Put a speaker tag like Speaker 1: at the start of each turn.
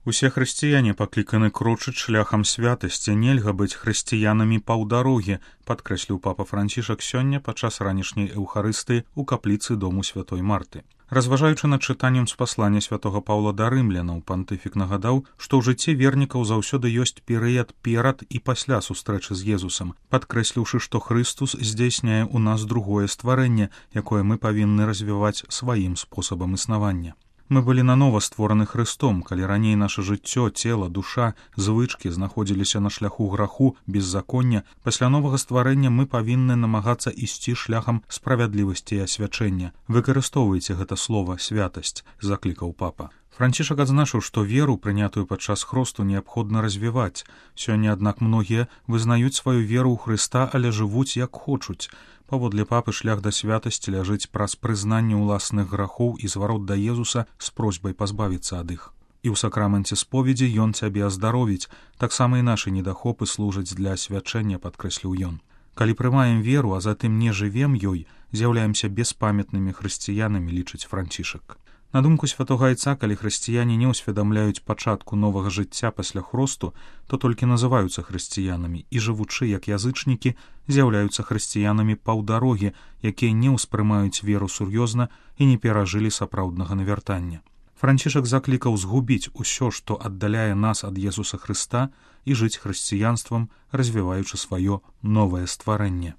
Speaker 1: Усе хрысціяне пакліканы крочыць шляхам святасці, нельга быць хрысціянамі паўдарогі, падкрэсліў папа Францішак сёння падчас ранішняй эўхарыстыі ў капліцы дому святой Марты. Разважаючы над чытаннем з паслання святога Паўла да рымлянаў, пантыфік нагадаў, што ў жыцці вернікаў заўсёды ёсць перыяд перад і пасля сустрэчы з Езусам, падкрэсліўшы, што Хрыстус здзейсняе ў нас другое стварэнне, якое мы павінны развіваць сваім спосабам існавання. Мы былі нанова створаны Хрыстом, калі раней наша жыццё, цела, душа, звычкі знаходзіліся на шляху граху, беззаконня, пасля новага стварэння мы павінны намагацца ісці шляхам справядлівасці і асвячэння. Выкарыстоўвайце гэта слова «святасць», заклікаў папа. Францішак адзначыў, што веру, прынятую падчас хросту, неабходна развіваць. Сёння, аднак, многія вызнаюць сваю веру ў Хрыста, але жывуць як хочуць. Паводле папы, шлях да святасці ляжыць праз прызнанне ўласных грахоў і зварот да Езуса з просьбай пазбавіцца ад іх. І ў сакраменце споведзі ён цябе аздаровіць, таксама і нашы недахопы служаць для асвячэння, падкрэсліў ён. Калі прымаем веру, а затым не жывем ёй, з'яўляемся беспамятнымі хрысціянамі, лічыць Францішак. На думку святога айца, калі хрысціяне не ўсведамляюць пачатку новага жыцця пасля хросту, то толькі называюцца хрысціянамі і, жывучы як язычнікі, з'яўляюцца хрысціянамі паўдарогі, якія не ўспрымаюць веру сур'ёзна і не перажылі сапраўднага навяртання. Францішак заклікаў згубіць усё, што аддаляе нас ад Езуса Хрыста, і жыць хрысціянствам, развіваючы сваё новае стварэнне.